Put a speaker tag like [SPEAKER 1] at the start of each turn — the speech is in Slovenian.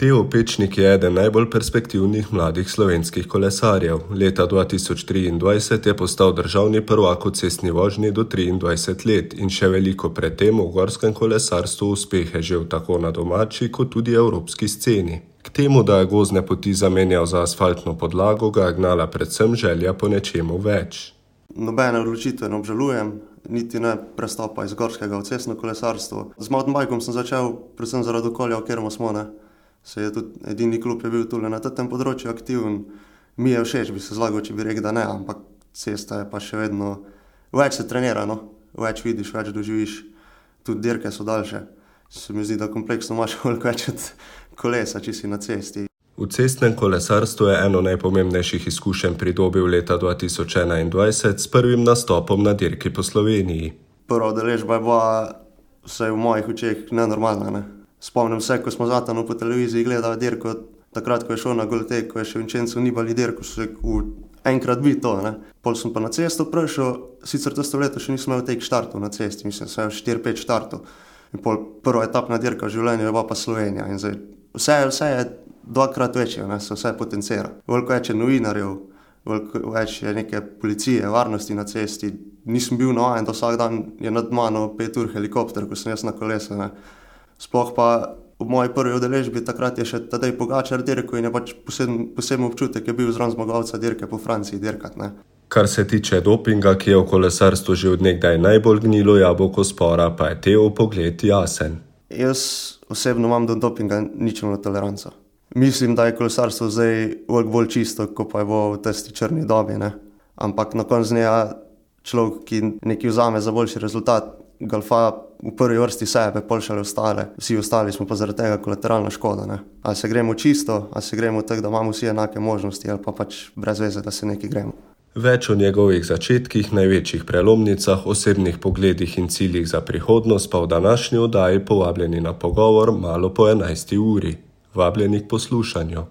[SPEAKER 1] Teo Pečnik je eden najbolj perspektivnih mladih slovenskih kolesarjev. Leta 2023 je postal državni prvak v cestni vožnji do 23 let in še veliko pred tem v gorskem kolesarstvu uspehe žel tako na domači kot tudi evropski sceni. K temu, da je gozdne poti zamenjal za asfaltno podlago, ga je gnala predvsem želja po nečemu več.
[SPEAKER 2] Nobene odločitve ne obžalujem, niti ne prestopa iz gorskega v cestno kolesarstvo. Z mountainbikom sem začel predvsem zaradi okolja, v katerem smo. Se je tudi edini klub je bil tule na tem področju aktiven. Mi je všeč, bi se zlagal, če bi rekel, da ne, ampak cesta je pa še vedno, več se trenira, več vidiš, več doživiš, tudi dirke so daljše. Se mi zdi, da kompleksno imaš koliko več od kolesa, če si na cesti.
[SPEAKER 1] V cestnem kolesarstvu je eno najpomembnejših izkušenj pridobil leta 2021 s prvim nastopom na dirki po Sloveniji.
[SPEAKER 2] Prva udeležba je bila vsaj v mojih očeh nenormalna. Spomnim se, ko smo Zatanu po televiziji gledali dirko, takrat, ko je šel na Goltek, ko je še Vincenzo Nibali dirko, so enkrat bi to. Pol sem pa na cesto prišel, sicer to leto še nisem imel tek štartov na cesti, mislim, vse 4-5 štartov. In pol prva etapna dirka v življenju je bila pa Slovenija. In zdaj, vse je dvakrat večje, se vse potencira. Veliko več je novinarjev, veliko več je neke policije, varnosti na cesti. Nisem bil navajen, da vsak dan je nad mano 5 ur helikopter, ko sem jaz na kolesu. Sploh pa v moji prvi udeležbi takrat je še Tadej Pogačar dirko in je pač poseben občutek je bil zraven zmagovalca dirke po Franciji dirkat.
[SPEAKER 1] Kar se tiče dopinga, ki je v kolesarstvu že od nekdaj najbolj gnilo jabolko spora, pa je Teo pogled jasen.
[SPEAKER 2] Jaz osebno imam do dopinga ničelno toleranco. Mislim, da je kolesarstvo zdaj bolj čisto, kot pa je bilo v testi črni dobi. Ampak na koncu dneva človek, ki nekaj vzame za boljši rezultat, golfa v prvi vrsti sebe, pol šele ostale. Vsi ostali smo pa zaradi tega kolateralna škoda. Ali se gremo čisto, ali se gremo tako, da imamo vsi enake možnosti, ali pa pač brez veze, da se nekaj gremo.
[SPEAKER 1] Več o njegovih začetkih, največjih prelomnicah, osebnih pogledih in ciljih za prihodnost pa v današnji oddaji povabljeni na pogovor malo po 11. uri. Vabljeni k poslušanju.